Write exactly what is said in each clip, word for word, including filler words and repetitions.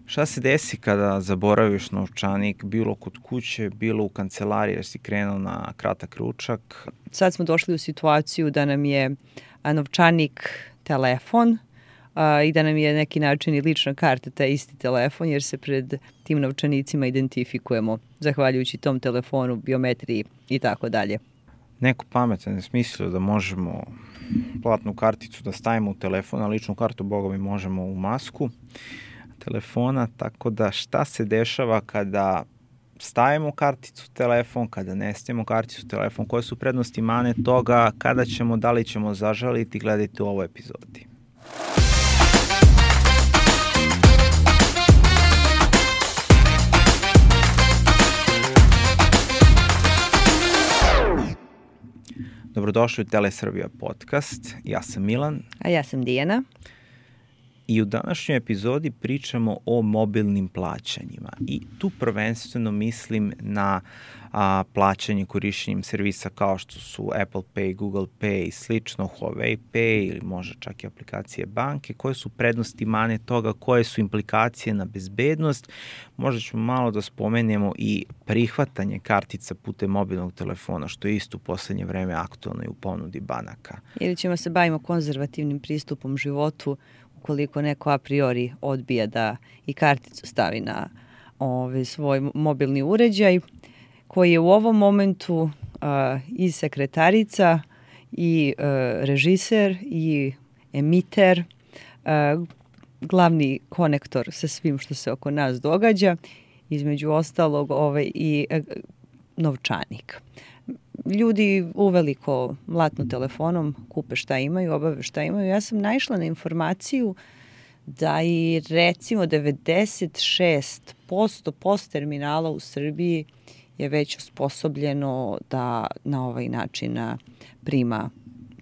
Šta se desi kada zaboraviš novčanik, bilo kod kuće, bilo u kancelariji jer si krenuo na kratak ručak? Sad smo došli u situaciju da nam je novčanik telefon a, i da nam je neki način i lična karta taj isti telefon, jer se pred tim novčanicima identifikujemo zahvaljujući tom telefonu, biometriji i tako dalje. Neko pametan je smislio da možemo platnu karticu da stavimo u telefon, a ličnu kartu, boga mi, možemo u masku telefona, tako da šta se dešava kada stavimo karticu u telefon, kada ne stavimo karticu u telefon, koje su prednosti i mane toga, kada ćemo, da li ćemo zažaliti, gledajte u ovoj epizodi. Dobrodošli u Telesrbija podcast, ja sam Milan. A ja sam Dijana. I u današnjoj epizodi pričamo o mobilnim plaćanjima i tu prvenstveno mislim na a, plaćanje korišćenjem servisa kao što su Apple Pay, Google Pay i slično, Huawei Pay ili možda čak i aplikacije banke, koje su prednosti i mane toga, koje su implikacije na bezbednost. Možda ćemo malo da spomenemo i prihvatanje kartica putem mobilnog telefona, što je isto u poslednje vreme aktualno i u ponudi banaka. Ili ćemo se bavimo konzervativnim pristupom životu, ukoliko neko a priori odbija da i karticu stavi na ovaj, svoj mobilni uređaj, koji je u ovom momentu uh, i sekretarica, i uh, režiser, i emiter, uh, glavni konektor sa svim što se oko nas događa, između ostalog ovaj, i uh, novčanik. Ljudi uveliko mlatnu telefonom, kupe šta imaju, obave šta imaju. Ja sam naišla na informaciju da i recimo devedeset šest posto post terminala u Srbiji je već osposobljeno da na ovaj način prima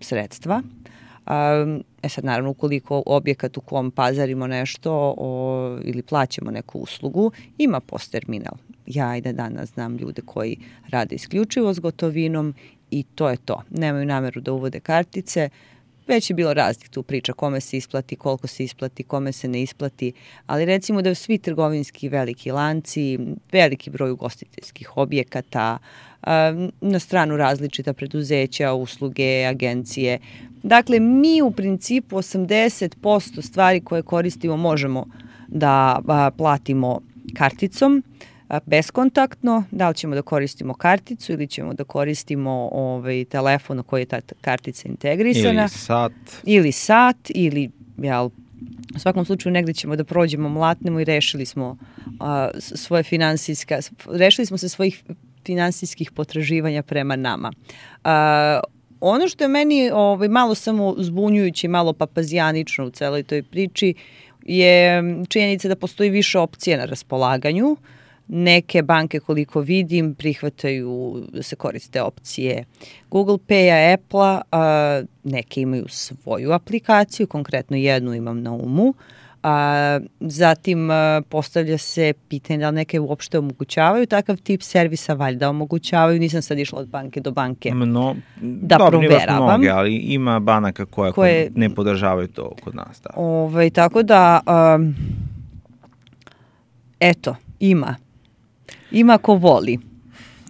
sredstva. E sad, naravno, ukoliko objekat u kom pazarimo nešto o, ili plaćamo neku uslugu, ima post terminal. Ja i da danas znam ljude koji rade isključivo s gotovinom i to je to. Nemaju nameru da uvode kartice. Već je bilo raznih tu priča kome se isplati, koliko se isplati, kome se ne isplati, ali recimo da svi trgovinski veliki lanci, veliki broj ugostiteljskih objekata, na stranu različita preduzeća, usluge, agencije. Dakle, mi u principu osamdeset posto stvari koje koristimo možemo da platimo karticom, beskontaktno, da li ćemo da koristimo karticu ili ćemo da koristimo ovaj, telefon u koji je ta kartica integrisana. Ili sat. Ili sat, ili jel, u svakom slučaju negde ćemo da prođemo, mlatnemo i rešili smo a, svoje finansijska, rešili smo se svojih finansijskih potraživanja prema nama. A, ono što je meni ovaj, malo samo zbunjujuće, malo papazijanično u celoj toj priči je činjenica da postoji više opcija na raspolaganju. Neke banke, koliko vidim, prihvataju da se koriste opcije Google Pay-a, Apple-a, a, neke imaju svoju aplikaciju, konkretno jednu imam na umu. A, zatim a, postavlja se pitanje da li neke uopšte omogućavaju takav tip servisa, valjda omogućavaju, nisam sad išla od banke do banke Mno, da dobro, proveravam. Mnoge, ali ima banaka koje, koje ne podržavaju to kod nas. Da. Ovaj, tako da, a, eto, ima. Ima ko voli.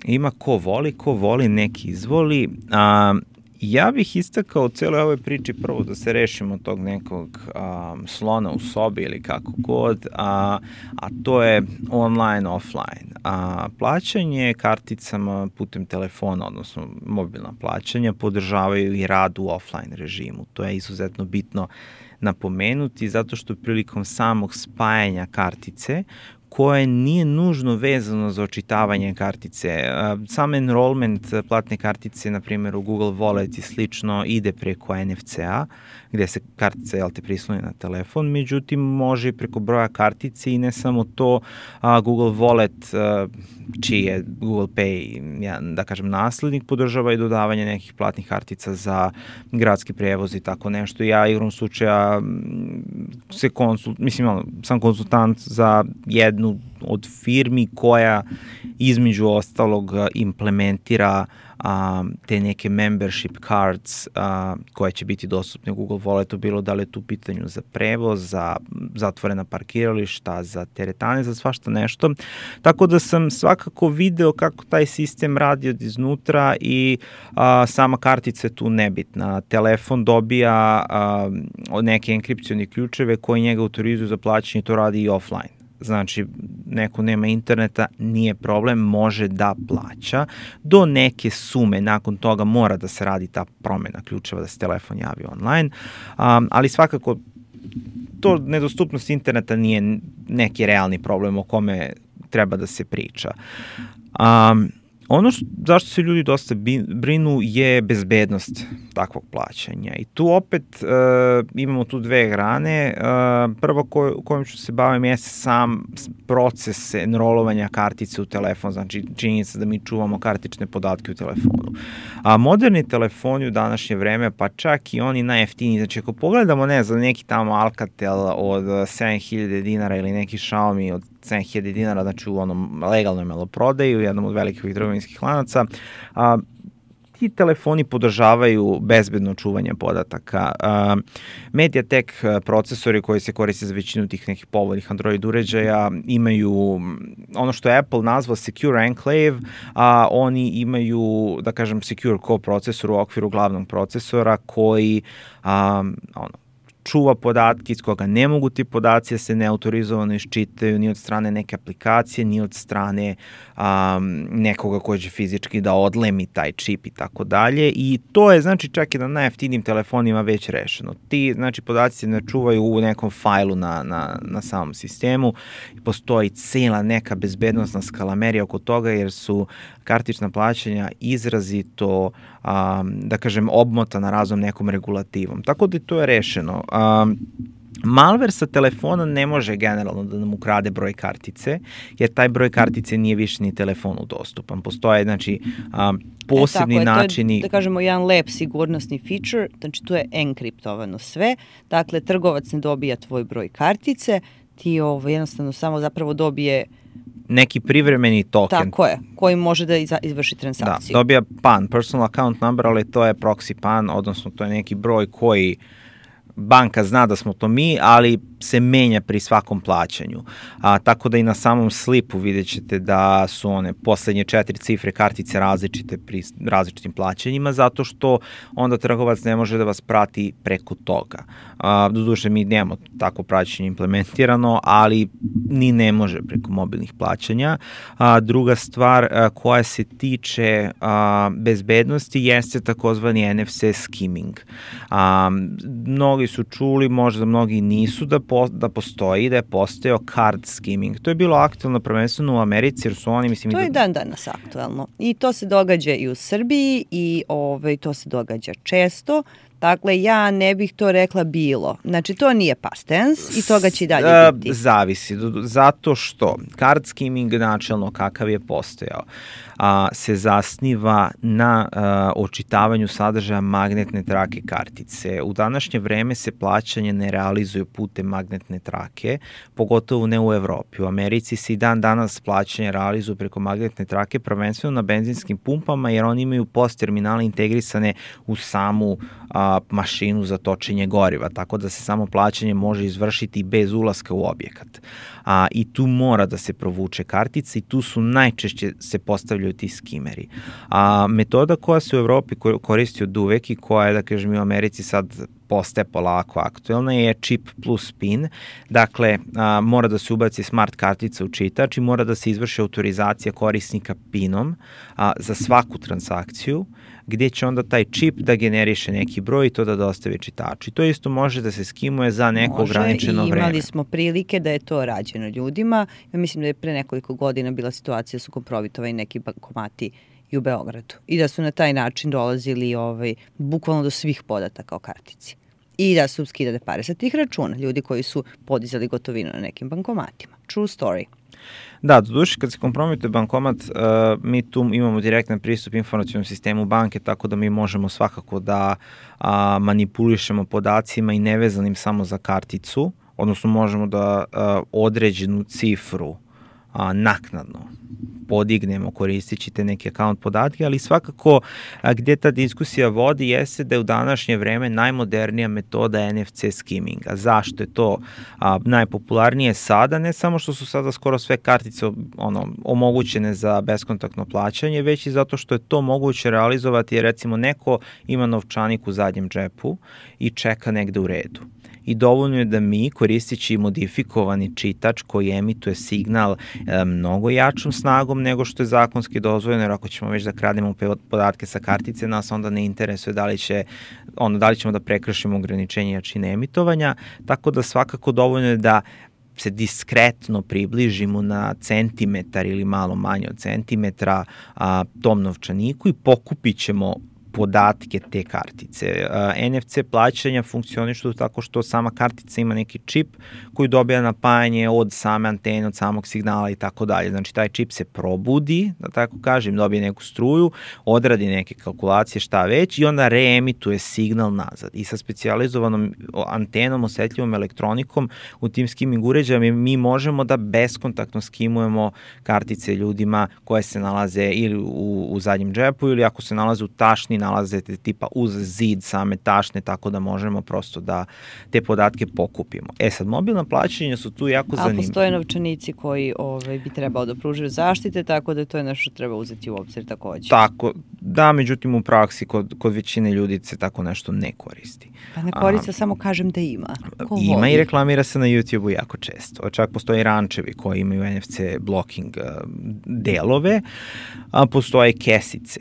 Ima ko voli, ko voli, neki izvoli. A, ja bih istakao u celoj ovoj priči prvo da se rešimo tog nekog a, slona u sobi ili kako god, a, a to je online, offline. A, plaćanje karticama putem telefona, odnosno mobilna plaćanja, podržavaju i rad u offline režimu. To je izuzetno bitno napomenuti zato što prilikom samog spajanja kartice koje nije nužno vezano za očitavanje kartice. Sam enrollment platne kartice, na primjer u Google Wallet i slično, ide preko en ef ce-a, gde se kartica, jel te, prisloni na telefon, međutim može i preko broja kartice i ne samo to, a, Google Wallet, a, čiji je Google Pay, ja, da kažem, naslednik, podržava i dodavanje nekih platnih kartica za gradski prevoz i tako nešto. Ja igrom slučaja se konsult, mislim, sam konsultant za jednu od firmi koja između ostalog implementira a, te neke membership cards a, koje će biti dostupne u Google Walletu, bilo da li je tu pitanju za prevoz, za zatvorena parkirališta, za teretane, za svašta nešto. Tako da sam svakako video kako taj sistem radi od iznutra i a, sama kartica je tu nebitna. Telefon dobija a, neke enkripcioni ključeve koji njega autorizuju za plaćanje, to radi i offline. Znači, neko nema interneta, nije problem, može da plaća. Do neke sume, nakon toga mora da se radi ta promena ključeva, da se telefon javi online, um, ali svakako to nedostupnost interneta nije neki realni problem o kome treba da se priča. Um, Ono što, zašto se ljudi dosta brinu je bezbednost takvog plaćanja i tu opet e, imamo tu dve grane. E, prvo ko, kojom ću se bavim je sam proces enrolovanja kartice u telefon, znači činjenica da mi čuvamo kartične podatke u telefonu. A moderni telefoni u današnje vreme, pa čak i oni najjeftiniji, znači ako pogledamo, ne znam, neki tamo Alcatel od sedam hiljada dinara ili neki Xiaomi od sedam hiljada dinara, znači u onom legalnoj maloprodaju, u jednom od velikih trgovinskih lanaca, a, ti telefoni podržavaju bezbedno čuvanje podataka. A, MediaTek procesori koji se koriste za većinu tih nekih povoljnih Android uređaja imaju ono što je Apple nazvao Secure Enclave, a oni imaju, da kažem, Secure Core procesor u okviru glavnog procesora koji a, ono, čuva podatke iz koga ne mogu ti podaci da se neautorizovano iščitaju ni od strane neke aplikacije, ni od strane um, nekoga ko će fizički da odlemi taj čip i tako dalje. I to je, znači, čak i na najjeftinijim telefonima već rešeno. Ti, znači, podaci se ne čuvaju u nekom fajlu na, na, na samom sistemu. Postoji cela neka bezbednostna skalamerija oko toga, jer su kartična plaćanja izrazito, um, da kažem, obmotana raznom nekom regulativom. Tako da to je rešeno. Um, malware sa telefona ne može generalno da nam ukrade broj kartice, jer taj broj kartice nije više ni telefonu dostupan. Postoje, znači, um, posebni e, tako je, načini... To je, da kažemo, jedan lep sigurnosni feature, znači tu je enkriptovano sve, dakle, trgovac ne dobija tvoj broj kartice, ti ovo jednostavno samo zapravo dobije neki privremeni token. Tako je, koji može da izvrši transakciju. Da, dobija P A N, personal account number, ali to je proxy P A N, odnosno to je neki broj koji banka zna da smo to mi, ali se menja pri svakom plaćanju. A, tako da i na samom slipu vidjet ćete da su one poslednje četiri cifre kartice različite pri različitim plaćanjima, zato što onda trgovac ne može da vas prati preko toga. A, doduše, mi nemamo tako praćenje implementirano, ali ni ne može preko mobilnih plaćanja. A, druga stvar a, koja se tiče a, bezbednosti jeste takozvani N F C skimming. A, mnogi su čuli, možda mnogi nisu, da po, da postoji, da je postojao card skimming. To je bilo aktualno prvenstveno u Americi, jer su oni, mislim... To je da... dan danas aktualno. I to se događa i u Srbiji i ovaj, to se događa često. Dakle, ja ne bih to rekla bilo. Znači, to nije past tense i toga će i dalje biti. Zavisi. Zato što card skimming načelno kakav je postojao a, se zasniva na a, očitavanju sadržaja magnetne trake kartice. U današnje vreme se plaćanje ne realizuje putem magnetne trake, pogotovo ne u Evropi. U Americi se i dan danas plaćanje realizuje preko magnetne trake, prvenstveno na benzinskim pumpama, jer oni imaju post terminale integrisane u samu a, mašinu za točenje goriva, tako da se samo plaćanje može izvršiti bez ulaska u objekat. A, I tu mora da se provuče kartica i tu su najčešće se postavljaju ti skimeri. A, metoda koja se u Evropi koristi od uvek i koja je, da kažem, u Americi sad postaje polako aktuelna je čip plus pin. Dakle, a, mora da se ubaci smart kartica u čitač i mora da se izvrši autorizacija korisnika pinom a, za svaku transakciju, gdje će onda taj čip da generiše neki broj i to da dostavi čitaču. I to isto može da se skimuje za neko može, ograničeno vreme. Može, i imali smo prilike da je to rađeno ljudima. Ja mislim da je pre nekoliko godina bila situacija da su kompromitovani neki bankomati i u Beogradu. I da su na taj način dolazili ovaj, bukvalno do svih podataka o kartici. I da su skidane pare sa tih računa. Ljudi koji su podizali gotovinu na nekim bankomatima. True story. Da, doduše kad se kompromituje bankomat, uh, mi tu imamo direktan pristup informacionom sistemu banke, tako da mi možemo svakako da uh, manipulišemo podacima i nevezanim samo za karticu, odnosno možemo da uh, određenu cifru a, naknadno podignemo koristeći te neke account podatke, ali svakako a, gde ta diskusija vodi jeste da je u današnje vreme najmodernija metoda N F C skimminga. Zašto je to a, najpopularnije sada? Ne samo što su sada skoro sve kartice ono, omogućene za beskontaktno plaćanje, već i zato što je to moguće realizovati jer recimo neko ima novčanik u zadnjem džepu i čeka negde u redu. I dovoljno je da mi, koristeći modifikovani čitač koji emituje signal e, mnogo jačom snagom nego što je zakonski dozvoljeno, jer ako ćemo već da krademo podatke sa kartice, nas onda ne interesuje da li, će, ono, da li ćemo da prekršimo ograničenje jačine emitovanja, tako da svakako dovoljno je da se diskretno približimo na centimetar ili malo manje od centimetra a, tom novčaniku i pokupit ćemo podatke te kartice. N F C plaćanja funkcionišu tako što sama kartica ima neki čip koji dobija napajanje od same antene, od samog signala i tako dalje. Znači taj čip se probudi, da tako kažem, dobije neku struju, odradi neke kalkulacije, šta već i onda reemituje signal nazad. I sa specijalizovanom antenom, osetljivom elektronikom u tim skimming uređajima mi možemo da beskontaktno skimujemo kartice ljudima koje se nalaze ili u, u zadnjem džepu ili ako se nalaze u tašni nalazete tipa uz zid same tašne, tako da možemo prosto da te podatke pokupimo. E sad, mobilna plaćanja su tu jako zanimljiva. A postoje novčanici koji ovaj, bi trebao da pružaju zaštite, tako da to je nešto što treba uzeti u obzir takođe. Tako, da, međutim u praksi kod, kod većine ljudi se tako nešto ne koristi. Pa ne koristi, samo kažem da ima. Ko ima voli? I reklamira se na YouTube-u jako često. Čak postoje rančevi koji imaju N F C blocking delove, a postoje kesice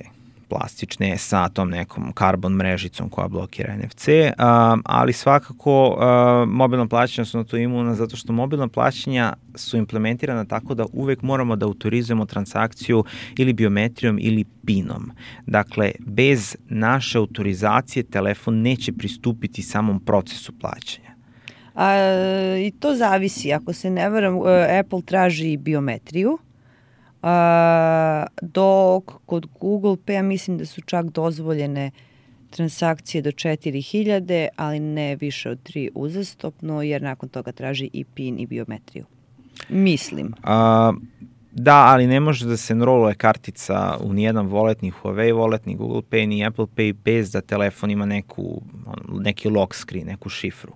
plastične sa tom nekom karbon mrežicom koja blokira N F C, um, ali svakako uh, mobilna plaćanja su na to imuna zato što mobilna plaćanja su implementirana tako da uvek moramo da autorizujemo transakciju ili biometrijom ili pinom. Dakle, bez naše autorizacije telefon neće pristupiti samom procesu plaćanja. A, i to zavisi. Ako se ne varam, Apple traži biometriju, Uh, dok kod Google Pay mislim da su čak dozvoljene transakcije do četiri hiljade, ali ne više od tri uzastopno, jer nakon toga traži i PIN i biometriju. Mislim. A, da, ali ne može da se enroluje kartica u nijedan wallet, ni Huawei wallet, ni Google Pay, ni Apple Pay bez da telefon ima neku, neki lock screen, neku šifru.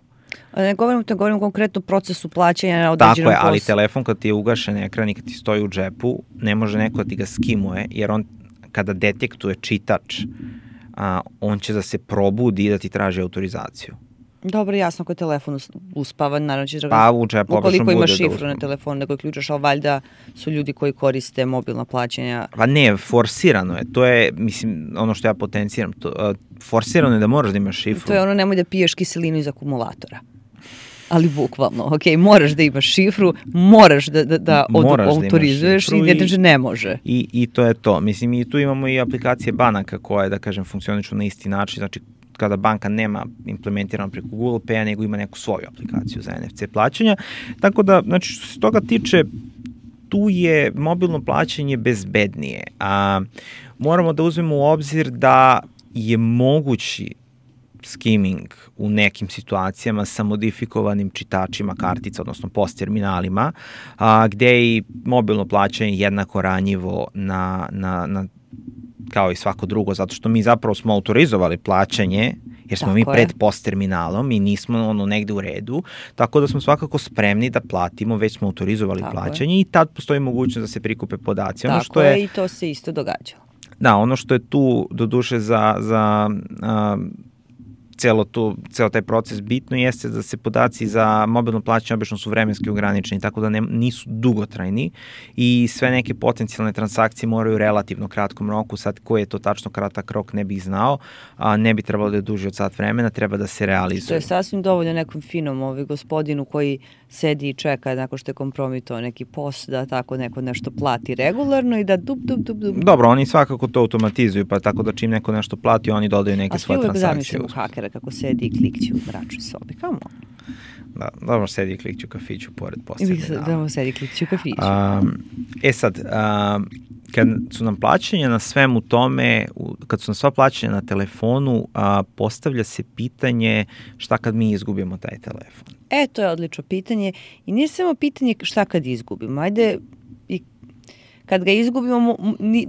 Ne govorim, to govorim konkretno o procesu plaćanja na određenom poslu. Tako je, ali telefon kad ti je ugašen ekran i kad ti stoji u džepu, ne može neko da ti ga skimuje, jer on kada detektuje čitač, a, on će da se probudi i da ti traži autorizaciju. Dobro, jasno, ako je telefon uspavan, naravno ćeš da pa, u džepu obično bude. Ukoliko ima šifru na telefon, nego ključaš, ali valjda su ljudi koji koriste mobilna plaćanja. Pa ne, forsirano je. To je, mislim, ono što ja potenciram. To, uh, forsirano je da moraš da imaš šifru. To je ono, nemoj da piješ kiselinu iz akumulatora. Ali bukvalno, ok, moraš da imaš šifru, moraš da, da, da od, autorizuješ da i ne, ne može. I, I to je to. Mislim, i tu imamo i aplikacije banaka koje, da kažem, funkcionišu na isti način. Znači, kada banka nema implementirano preko Google Pay-a, nego ima neku svoju aplikaciju za N F C plaćanja. Tako da, znači, što se toga tiče, tu je mobilno plaćanje bezbednije. A, moramo da uzmemo u obzir da je mogući skimming u nekim situacijama sa modifikovanim čitačima kartica, odnosno post terminalima, a, gde je i mobilno plaćanje jednako ranjivo na, na, na kao i svako drugo, zato što mi zapravo smo autorizovali plaćanje, jer smo tako mi pred post terminalom i nismo ono negde u redu, tako da smo svakako spremni da platimo, već smo autorizovali tako plaćanje je. I tad postoji mogućnost da se prikupe podaci. Ono tako što je, je i to se isto događalo. Da, ono što je tu do duše za, za a, celo, tu, celo taj proces bitno jeste da se podaci za mobilno plaćanje obično su vremenski ograničeni, tako da ne, nisu dugotrajni i sve neke potencijalne transakcije moraju u relativno kratkom roku. Sad koji je to tačno kratak rok ne bih znao, a ne bi trebalo da je duže od sat vremena, treba da se realizuje. To je sasvim dovoljno nekom finom ovaj gospodinu koji sedi i čeka nakon što je kompromitao neki post da tako neko nešto plati regularno i da dup, dup, dup, dup. Dobro, oni svakako to automatizuju, pa tako da čim neko nešto plati, oni dodaju neke svoje transakcije. A svi uvek zamislimo hakera kako sedi i klikće u mračnoj sobi. Come on. Da, dobro, sedi i klikće u kafiću pored postavljena. Dobro, sedi i klikće u kafiću. Um, e sad, um, kad su nam plaćanja na svemu tome, kad su nam sva plaćanja na telefonu, a, postavlja se pitanje šta kad mi izgubimo taj telefon? E, to je odlično pitanje i nije samo pitanje šta kad izgubimo. Ajde, kad ga izgubimo,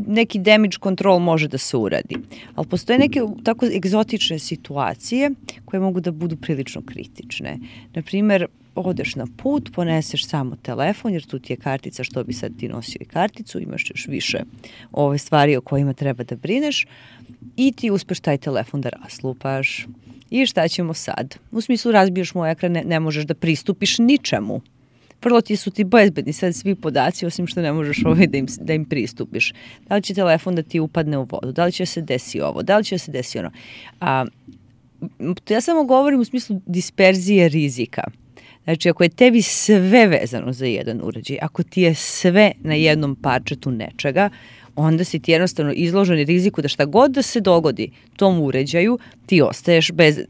neki damage control može da se uradi. Ali postoje neke tako egzotične situacije koje mogu da budu prilično kritične. Naprimer, odeš na put, poneseš samo telefon, jer tu ti je kartica, što bi sad ti nosio i karticu, imaš još više ove stvari o kojima treba da brineš i ti uspeš taj telefon da raslupaš. I šta ćemo sad? U smislu, razbiješ mu ekran, ne, ne možeš da pristupiš ničemu. Vrlo ti su ti bezbedni sad svi podaci, osim što ne možeš ovaj da im, da im pristupiš. Da li će telefon da ti upadne u vodu? Da li će se desi ovo? Da li će se desi ono? A, ja samo govorim u smislu disperzije rizika. Znači, ako je tebi sve vezano za jedan uređaj, ako ti je sve na jednom parčetu nečega, onda si ti jednostavno izložen riziku da šta god da se dogodi tom uređaju, ti ostaješ bez...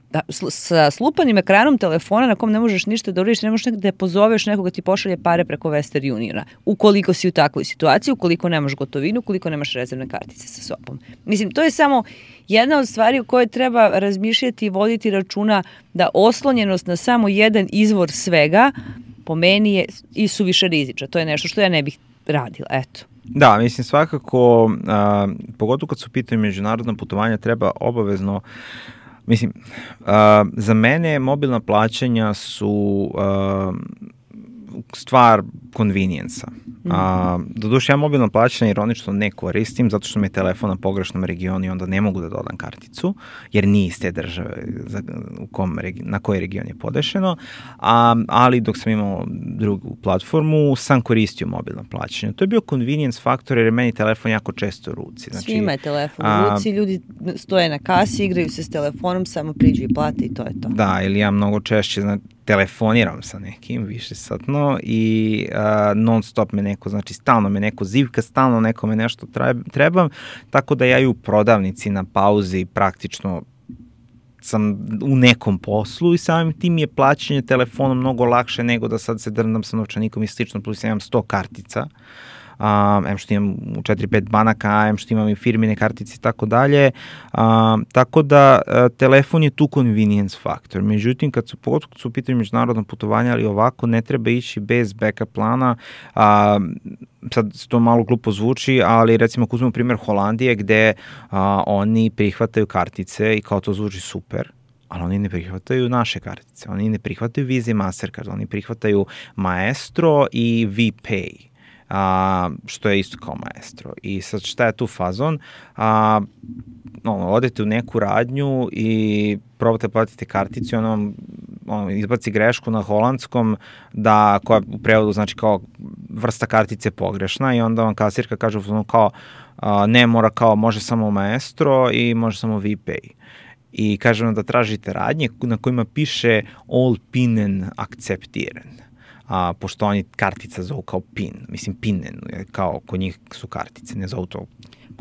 Da, sa slupanim ekranom telefona na kom ne možeš ništa da uradiš, ne možeš da pozoveš nekoga ti pošalje pare preko Western Uniona. Ukoliko si u takvoj situaciji, ukoliko nemaš gotovinu, ukoliko nemaš rezervne kartice sa sobom. Mislim, to je samo jedna od stvari o kojoj treba razmišljati i voditi računa da oslonjenost na samo jedan izvor svega po meni je i suviše rizična. To je nešto što ja ne bih radila. Eto. Da, mislim svakako, a, pogotovo kad su pitanje međunarodna putovanja, treba obavezno. Mislim, uh, za mene mobilna plaćanja su uh, stvar convenience-a. Mm -hmm. uh, doduše, ja mobilno plaćanje ironično ne koristim, zato što mi je telefon na pogrešnom regionu i onda ne mogu da dodam karticu, jer nije iz te države za, u kom, na kojoj region je podešeno, a, ali dok sam imao drugu platformu, sam koristio mobilno plaćanje. To je bio convenience faktor, jer je meni telefon jako često u ruci. Znači, svima je telefon u ruci, ljudi stoje na kasi, igraju se s telefonom, samo priđu i plate i to je to. Da, ili ja mnogo češće, znači, telefoniram sa nekim više satno i uh, non stop me neko, znači stalno me neko zivka, stalno nekome nešto trebam, tako da ja i u prodavnici na pauzi praktično sam u nekom poslu i samim tim je plaćanje telefonom mnogo lakše nego da sad se drndam sa novčanikom i slično, plus ja imam sto kartica. Um, em što imam u četiri pet banaka, em što imam i firmine kartice i tako dalje, um, tako da uh, telefon je tu convenience faktor. Međutim, kad su, pogotovo kad su u pitanju međunarodna putovanja, ali ovako ne treba ići bez backup plana. Um, sad to malo glupo zvuči, ali recimo ako uzmemo primjer Holandije gde uh, oni prihvataju kartice i kao to zvuči super, ali oni ne prihvataju naše kartice, oni ne prihvataju Visa i Mastercard, oni prihvataju Maestro i VPay. A, što je isto kao Maestro. I sad šta je tu fazon? A, ono, odete u neku radnju i probate platiti karticu i ono vam ono, izbaci grešku na holandskom da, koja u prevodu znači kao vrsta kartice pogrešna i onda vam kasirka kaže kao a, ne mora kao može samo Maestro i može samo VPay. I kaže vam da tražite radnje na kojima piše all pinen akceptiran. A, pošto oni kartica zovu kao PIN, mislim PIN-en, kao kod njih su kartice, ne zovu to.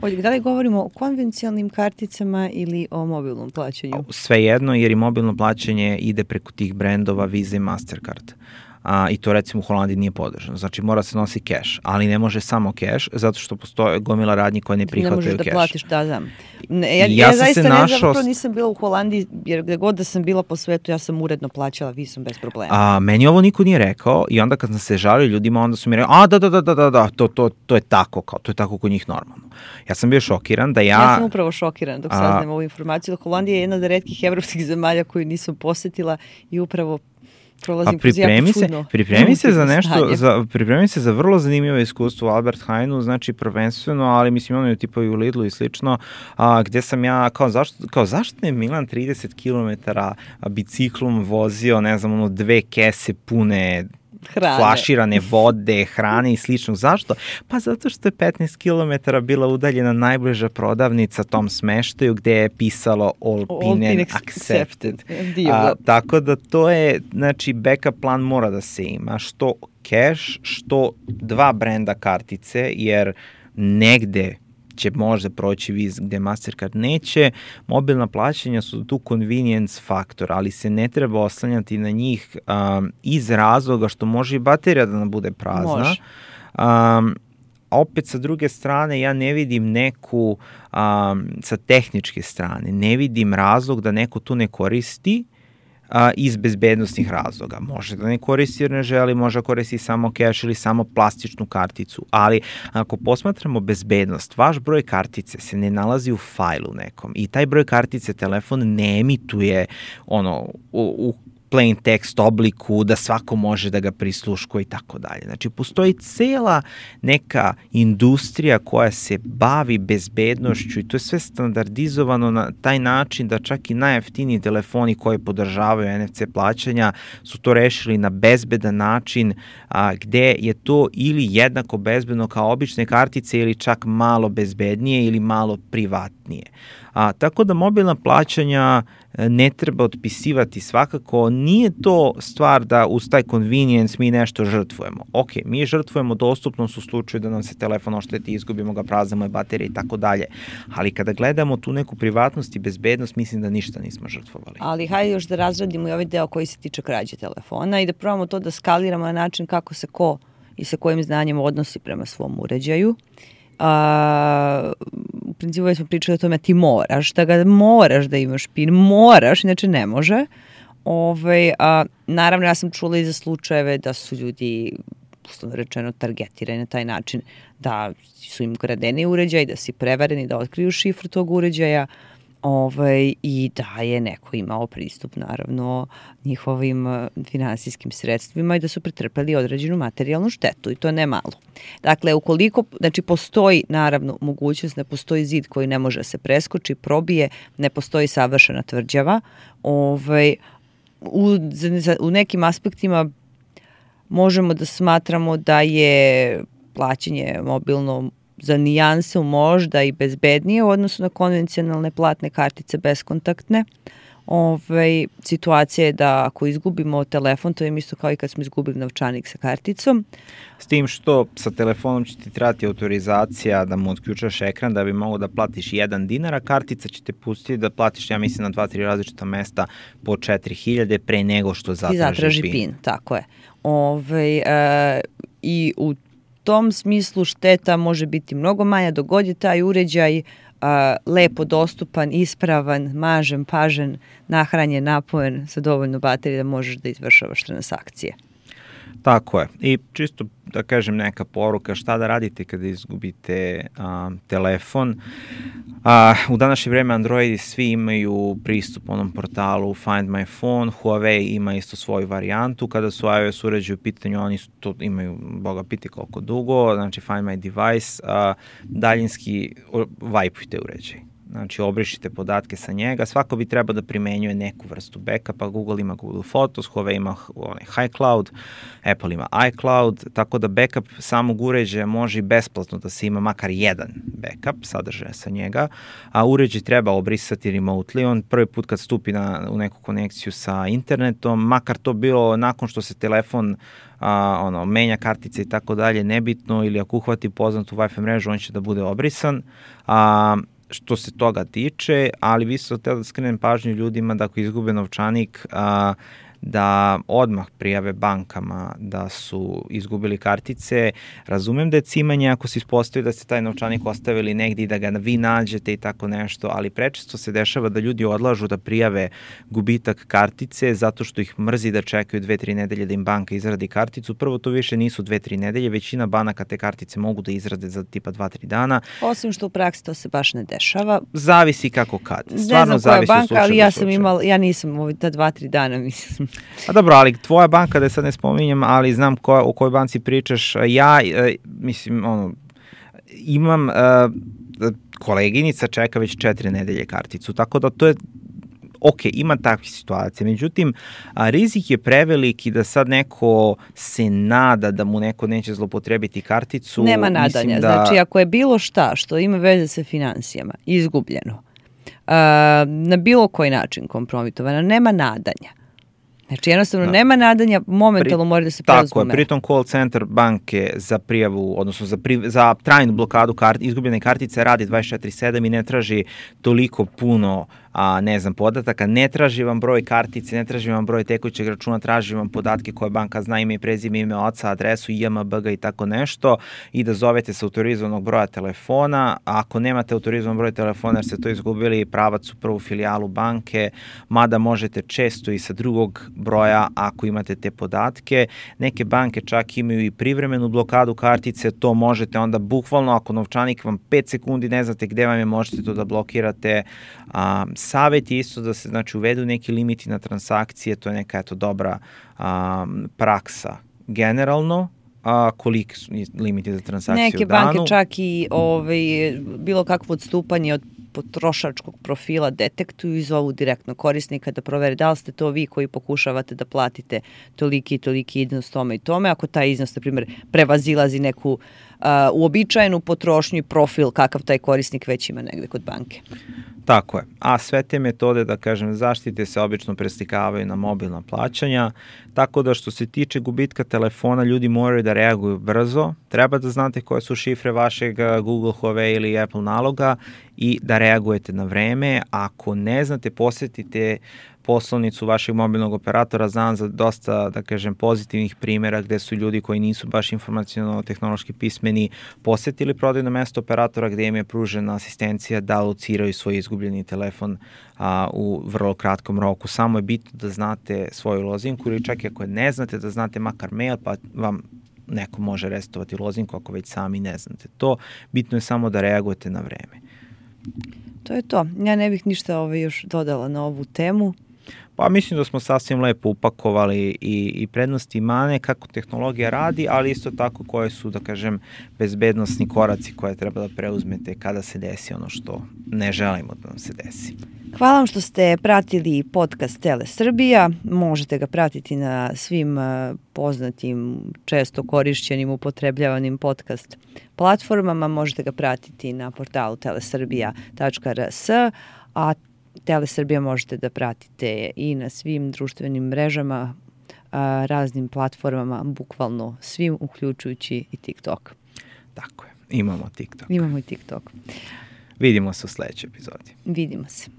Ovdje, da li govorimo o konvencijalnim karticama ili o mobilnom plaćanju? Svejedno, jer i mobilno plaćanje ide preko tih brendova Visa i Mastercard. A, i to recimo u Holandiji nije podržano. Znači mora se nosi keš, ali ne može samo keš, zato što postoje gomila radnji koje ne prihvataju keš. Ne možeš da platiš, da, znam. Ne, ja, ja, ja zaista ne našao... zapravo nisam bila u Holandiji, jer gde god da sam bila po svetu, ja sam uredno plaćala visom bez problema. A, meni ovo niko nije rekao i onda kad sam se žalio ljudima, onda su mi rekao, a da, da, da, da, da, da to, to, to je tako, kao, to je tako kod njih normalno. Ja sam bio šokiran da ja... Ja sam upravo šokiran dok saznam ovu informaciju. Holandija je jedna od retkih evropskih zemalja koju nisam posetila i upravo A pripremi se, pripremi se za nešto, za, pripremi se za vrlo zanimljivo iskustvo u Albert Heijnu, znači prvenstveno, ali mislim ono je tipo i u Lidlu i slično, a, gde sam ja, kao zašto, kao zašto je Milan trideset kilometara biciklom vozio, ne znam, ono dve kese pune hrane, flaširane vode, hrane i sličnog. Zašto? Pa zato što je petnaest kilometara bila udaljena najbliža prodavnica tom smeštaju gde je pisalo all, all pin accepted. A, tako da to je, znači backup plan mora da se ima, što cash, što dva brenda kartice, jer negde će možda proći Visa gde Mastercard neće. Mobilna plaćanja su tu convenience faktor, ali se ne treba oslanjati na njih um, iz razloga što može i baterija da nam bude prazna. Um, opet sa druge strane ja ne vidim neku, um, sa tehničke strane, ne vidim razlog da neko tu ne koristi a, iz bezbednostnih razloga. Može da ne koristi jer ne želi, može koristi samo keš ili samo plastičnu karticu, ali ako posmatramo bezbednost, vaš broj kartice se ne nalazi u fajlu nekom i taj broj kartice telefon ne emituje ono u, u plain text obliku, da svako može da ga prisluškuje i tako dalje. Znači, postoji cela neka industrija koja se bavi bezbednošću i to je sve standardizovano na taj način da čak i najjeftiniji telefoni koji podržavaju en ef ce plaćanja su to rešili na bezbedan način, a, gde je to ili jednako bezbedno kao obične kartice ili čak malo bezbednije ili malo privatnije. A, tako da mobilna plaćanja ne treba otpisivati svakako, nije to stvar da uz taj convenience mi nešto žrtvujemo. Ok, mi žrtvujemo dostupnost u slučaju da nam se telefon ošteti, izgubimo ga, praznimo je baterije i tako dalje, ali kada gledamo tu neku privatnost i bezbednost, mislim da ništa nismo žrtvovali. Ali hajde još da razradimo i ovaj deo koji se tiče krađe telefona i da probamo to da skaliramo na način kako se ko i sa kojim znanjem odnosi prema svom uređaju. A, u principu već smo pričali o tome, ti moraš da ga moraš da imaš pin, moraš, inače ne može. Ove, a, naravno, ja sam čula i za slučajeve da su ljudi, uslovno rečeno, targetirani na taj način, da su im kradeni uređaj, da si prevareni, da otkriju šifru tog uređaja, Ovaj, i da je neko imao pristup naravno njihovim finansijskim sredstvima i da su pretrpeli određenu materijalnu štetu i to ne malo. Dakle, ukoliko, znači postoji naravno mogućnost, ne postoji zid koji ne može se preskoči, probije, ne postoji savršena tvrđava, ovaj, u, u nekim aspektima možemo da smatramo da je plaćanje mobilno za nijanse možda i bezbednije u odnosu na konvencionalne platne kartice beskontaktne. Ove, situacija je da ako izgubimo telefon, to je isto kao i kad smo izgubili novčanik sa karticom. S tim što sa telefonom će ti trebati autorizacija da mu otključaš ekran da bi mogao da platiš jedan dinar, a kartica će te pustiti da platiš, ja mislim, na dva, tri različita mesta po četiri hiljade pre nego što zatraži, zatraži pin. pin. Tako je. Ove, e, I u tom smislu šteta može biti mnogo manja dok god je taj uređaj a, lepo dostupan, ispravan, mažen, pažen, nahranjen, napojen sa dovoljno baterije da možeš da izvršavaš transakcije. Tako je. I čisto da kažem neka poruka šta da radite kada izgubite a, telefon. A, u današnje vreme Androidi svi imaju pristup onom portalu Find My Phone, Huawei ima isto svoju varijantu, kada su iOS uređaji u pitanju, oni su to imaju, boga piti koliko dugo, znači Find My Device, a, daljinski vajpujte uređaj. Znači, obrišite podatke sa njega, svako bi trebao da primenjuje neku vrstu backupa, Google ima Google Photos, Huawei ima onaj iCloud, Apple ima iCloud, tako da backup samog uređaja može i besplatno da se ima makar jedan backup sadržaja sa njega, a uređaj treba obrisati remotely, on prvi put kad stupi na, u neku konekciju sa internetom, makar to bilo nakon što se telefon a, ono, menja kartice i tako dalje, nebitno, ili ako uhvati poznatu Wi-Fi mrežu, on će da bude obrisan, a što se toga tiče, ali vi ste htjeli da skrenem pažnju ljudima da ako izgube novčanik, a, da odmah prijave bankama da su izgubili kartice. Razumem da je cimanje ako se ispostavi da ste taj novčanik ostavili negdje i da ga vi nađete i tako nešto, ali prečesto se dešava da ljudi odlažu da prijave gubitak kartice zato što ih mrzi da čekaju dve, tri nedelje da im banka izradi karticu. Prvo, to više nisu dve, tri nedelje, većina banaka te kartice mogu da izrade za tipa dva, tri dana. Osim što u praksi to se baš ne dešava. Zavisi kako kad. Stvarno ne znam koja zavisi banka, ali ja sam slučaju. imala, ja nisam ovdje ta dva, tri dana, mislim. A dobro, ali tvoja banka, da sad ne spominjem, ali znam ko, o kojoj banci pričaš, ja, e, mislim, ono, imam, e, koleginica čeka već četiri nedelje karticu, tako da to je, ok, ima takvih situacija, međutim, a, rizik je preveliki da sad neko se nada da mu neko neće zlopotrebiti karticu. Nema nadanja, da... znači ako je bilo šta što ima veze sa financijama, izgubljeno, a, na bilo koji način kompromitovano, nema nadanja. Znači jednostavno da. nema nadanja, momentalno mora da se preuzme. Tako je, pritom call center banke za prijavu, odnosno za, pri, za trajnu blokadu kart, izgubljene kartice radi dvadeset četiri sedam i ne traži toliko puno a, ne znam, podataka, ne traži vam broj kartice, ne traži vam broj tekućeg računa, traži vam podatke koje banka zna, ime i prezime, ime oca, adresu, I M B G i tako nešto, i da zovete sa autorizovanog broja telefona. Ako nemate autorizovan broj telefona jer ste to izgubili, pravac u prvu filijalu banke, mada možete često i sa drugog broja ako imate te podatke. Neke banke čak imaju i privremenu blokadu kartice, to možete onda bukvalno, ako novčanik vam pet sekundi ne znate gde vam je, možete to da blokirate. A, savjet je isto da se znači uvedu neki limiti na transakcije, to je neka eto dobra a, praksa generalno. A koliki su limiti za transakciju Neke u danu? banke čak i ovaj, bilo kakvo odstupanje od potrošačkog profila detektuju i zovu direktno korisnika da provere da li ste to vi koji pokušavate da platite toliki i toliki iznos tome i tome. Ako taj iznos, na primjer, prevazilazi neku uh, uobičajenu potrošnju i profil kakav taj korisnik već ima negde kod banke. Tako je. A sve te metode, da kažem, zaštite se obično preslikavaju na mobilna plaćanja, tako da što se tiče gubitka telefona, ljudi moraju da reaguju brzo. Treba da znate koje su šifre vašeg Google, Huawei ili Apple naloga i da reagujete na vreme. Ako ne znate, posjetite poslovnicu vašeg mobilnog operatora. Znam za dosta, da kažem, pozitivnih primjera gde su ljudi koji nisu baš informaciono-tehnološki pismeni posetili prodajno mesto operatora gde im je pružena asistencija da lociraju svoj izgubljeni telefon a, u vrlo kratkom roku. Samo je bitno da znate svoju lozinku ili čak i ako ne znate da znate makar mail, pa vam neko može resetovati lozinku ako već sami ne znate to. Bitno je samo da reagujete na vreme. To je to. Ja ne bih ništa ovaj još dodala na ovu temu. Pa mislim da smo sasvim lepo upakovali i, i prednosti i mane, kako tehnologija radi, ali isto tako koje su, da kažem, bezbednosni koraci koje treba da preuzmete kada se desi ono što ne želimo da nam se desi. Hvala vam što ste pratili podcast Tele Srbija. Možete ga pratiti na svim poznatim, često korišćenim, upotrebljavanim podcast platformama. Možete ga pratiti na portalu telesrbija tačka r s, a Tele Srbija možete da pratite i na svim društvenim mrežama, a, raznim platformama, bukvalno svim, uključujući i TikTok. Tako je, imamo TikTok. Imamo i TikTok. Vidimo se u sledećoj epizodi. Vidimo se.